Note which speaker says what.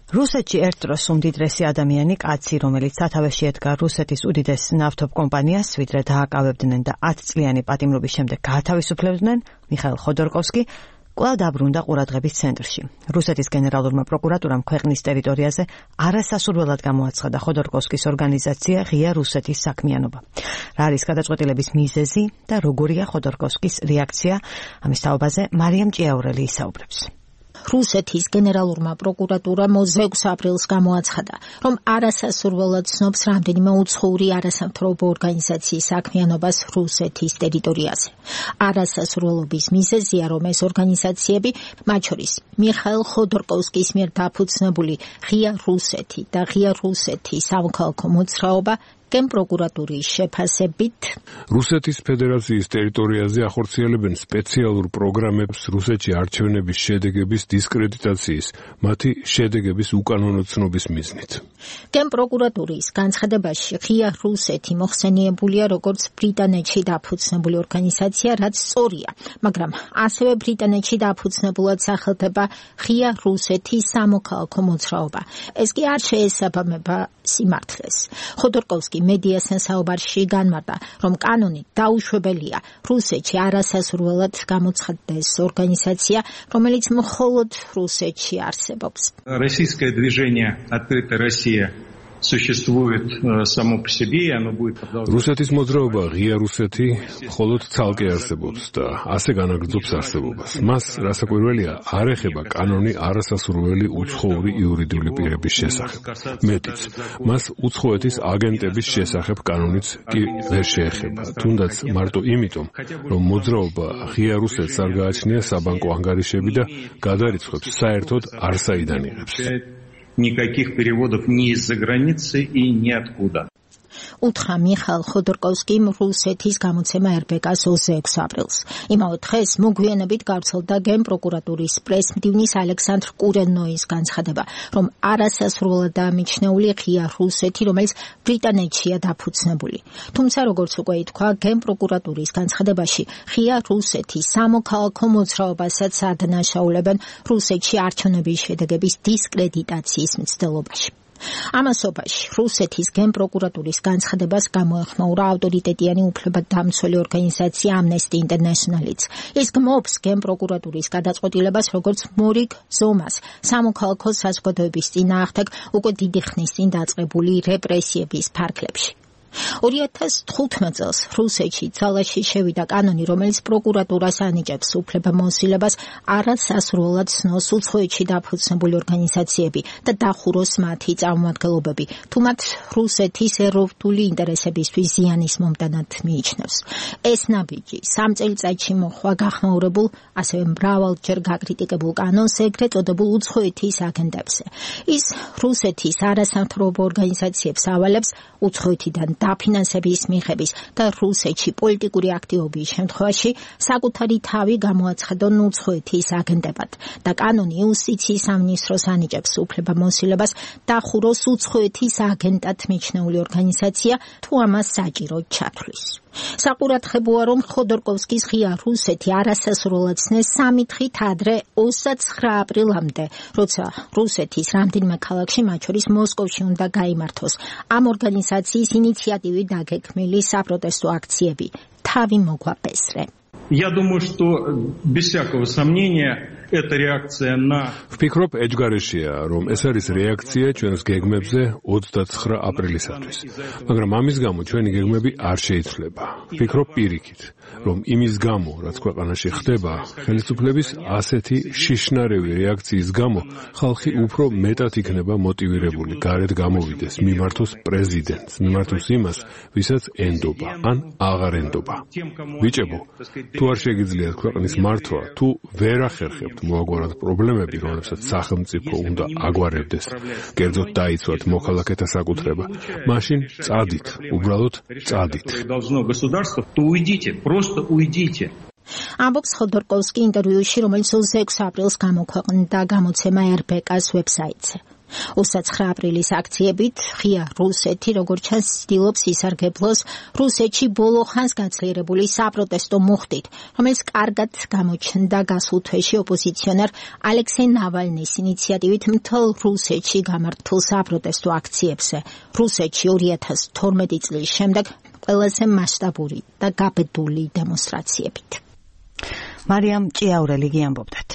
Speaker 1: რუსეთში ერთ დროს უმდიდრესი ადამიანი კაცი, რომელიც სათავეში ედგა რუსეთის უდიდეს ნავთობ კომპანიას, ვიდრე დააკავებდნენ და 10 წლიანი პატიმრობის შემდეგ გაათავისუფლებდნენ, მიხაილ ხოდორკოვსკი კვლავ დაბრუნდა ყურადღების ცენტრში. რუსეთის გენერალურმა პროკურატურამ ქვეყნის ტერიტორიაზე არასასურველად გამოაცხადა ხოდორკოვსკის ორგანიზაცია ღია რუსეთის საქმიანობა. რა არის გადაწყვეტილების მიზეზი და როგორია ხოდორკოვსკის რეაქცია? ამის თაობაზე მარიამ ჭიაურელი ისაუბრებს.
Speaker 2: რუსეთის გენერალურმა პროკურატურამ 26 აპრილს გამოაცხადა, რომ არასასურველად ცნობს რამდენიმე უცხოური არასამთავრობო ორგანიზაციის საქმიანობას რუსეთის ტერიტორიაზე. არასასურველობის მიზეზია, რომ ეს ორგანიზაციები, მათ შორის მიხაილ ხოდორკოვსკის მიერ დაფუძნებული ღია რუსეთი და ღია რუსეთის სამოქალაქო მოძრაობა გენპროკურატურის შეფასებით
Speaker 3: რუსეთის ფედერაციის ტერიტორიაზე ახორციელებენ სპეციალურ პროგრამებს რუსეთში არჩევნების შედეგების დისკრედიტაციის, მათი შედეგების უკანონო ცნობის მიზნით.
Speaker 2: გენპროკურატურის განცხადებაში ღია რუსეთი მოხსენიებულია როგორც ბრიტანეთში დაფუძნებული ორგანიზაცია, რაც სწორია, მაგრამ ასევე ბრიტანეთში დაფუძნებულად სახელდება ღია რუსეთის სამოქალაქო მოძრაობა. ეს კი არ შეესაბამება სიმართლეს. ხოდორკოვსკი მედიასთან საუბარში განმარტა, რომ კანონით დაუშვებელია რუსეთში არასასურველად გამოცხადდეს ორგანიზაცია, რომელიც მხოლოდ რუსეთში არსებობს.
Speaker 4: Российское движение «Открытая Россия» существует само по себе, и оно будет продолжаться.
Speaker 3: რუსეთის მოძრაობა ღია რუსეთი მხოლოდ ცალკე არსებობს და ასე განაგრძობს არსებობას. მას რასაკვირველია არ ეხება კანონი არასასურველი უცხოური იურიდიული პირების შესახებ. მეტიც, მას უცხოეთის აგენტების შესახებ კანონიც კი ვერ შეეხება. თუნდაც მარტო იმიტომ, რომ მოძრაობა ღია რუსეთს არ გააჩნია საბანკო ანგარიშები და გადარიცხვებს საერთოდ არსაიდან იღებს.
Speaker 4: Никаких переводов ни из-за границы и ниоткуда.
Speaker 2: უთხრა მიხაილ ხოდორკოვსკიმ რუსეთის გამოცემა RBK-ს 26 აპრილს. იმავე დღეს მოგვიანებით გავრცელდა გენპროკურატურის პრესმდივნის ალექსანდრ კურენოის განცხადება, რომ არასასურველადაა მიჩნეული ღია რუსეთი, რომელიც ბრიტანეთშია დაფუძნებული. თუმცა, როგორც უკვე ითქვა, გენპროკურატურის განცხადებაში ღია რუსეთის სამოქალაქო მოძრაობასაც ადანაშაულებენ რუსეთში არჩევნების შედეგების დისკრედიტაციის მცდელობაში. ამასობაში რუსეთის გენპროკურატურის განცხადებას გამოეხმაურა ავტორიტეტიანი უფლებადამცველი ორგანიზაცია Amnesty International-იც. ის გმობს გენპროკურატურის გადაწყვეტილებას როგორც მორიგ ზომას სამოქალაქო საზოგადოების წინააღმდეგ უკვე დიდი ხნის წინ დაწყებული რეპრესიების ფარგლებში. 2015 წელს რუსეთში ძალაში შევიდა კანონი, რომელიც პროკურატურას ანიჭებს უფლებამოსილებას არასასურველად ცნოს უცხოეთში დაფუძნებული ორგანიზაციები და დახუროს მათი წარმომადგენლობები, თუ მათ რუსეთის ეროვნული ინტერესებისთვის ზიანის მომტანად მიიჩნევს. ეს ნაბიჯი 3 წელიწადში მოხვა გახმაურებულ, ასევე მრავალჯერ გაკრიტიკებულ კანონს, ეგრეთ წოდებულ უცხოეთის აგენტებზე. ის რუსეთის არასამთავრობო ორგანიზაციებს ავალებს უცხოეთიდან დაფინანსების მიღების და რუსეთში პოლიტიკური აქტივობის შემთხვევაში საკუთარი თავი გამოაცხადონ უცხოეთის აგენტებად და კანონი იუსტიციის სამინისტროს ანიჭებს უფლებამოსილებას დახუროს უცხოეთის აგენტად მიჩნეული ორგანიზაცია, თუ ამას საჭირო ჩათვლის. საყურადღებოა, რომ ხოდორკოვსკის ღია რუსეთი არასასურველად ცნეს 3 დღით ადრე 29 აპრილამდე, როცა რუსეთის რამდენიმე ქალაქში, მათ შორის მოსკოვში უნდა გაიმართოს ამ ორგანიზაციის ინიციატივით დაგეგმილი საპროტესტო აქციები. თავი მოგვაპესრე.
Speaker 4: Я думаю, что без всякого сомнения это реакция на
Speaker 3: ვფიქრობ, ეჯგარეშია, რომ ეს არის რეაქცია ჩვენს გეგმებზე 29 აპრილისათვის. მაგრამ ამის გამო ჩვენი გეგმები არ შეიცვლება. ვფიქრობ პირიქით, რომ იმის გამო, რაც ქვეყანაში ხდება, ხელისუფლების ასეთი შიშნარევი რეაქციის გამო ხალხი უფრო მეტად იქნება მოტივირებული გარეთ გამოვიდეს, მიმართოს პრეზიდენტს, მიმართოს იმას, ვისაც ენდობა, ან აღარ ენდობა. ბიჭებო, თუ არ შეგიძლიათ ქვეყნის მართვა, თუ ვერ ახერხებთ მოაგვაროთ პრობლემები, რომლებსაც სახელმწიფო უნდა აგვარებდეს, კერძოდ დაიცვათ მოქალაქეთა საკუთრება, მაშინ წადით, უბრალოდ წადით.
Speaker 2: ამბობს ხოდორკოვსკი ინტერვიუში, რომელიც 26 აპრილს გამოქვეყნდა გამოცემა RBK-ს ვებსაიტზე. 29 აპრილის აქციებით ღია რუსეთი როგორც ჩანს ცდილობს ისარგებლოს რუსეთში ბოლო ხანს გაძლიერებული საპროტესტო მუხტით, რომელიც კარგად გამოჩნდა გასულ თვეში ოპოზიციონერ ალექსეი ნავალნის ინიციატივით მთელ რუსეთში გამართულ საპროტესტო აქციებზე. რუსეთში 2012 წლის შემდეგ ყველაზე მასშტაბური და გაბედული დემონსტრაციებით.
Speaker 1: მარიამ ჭიაურელი გიამბობდათ.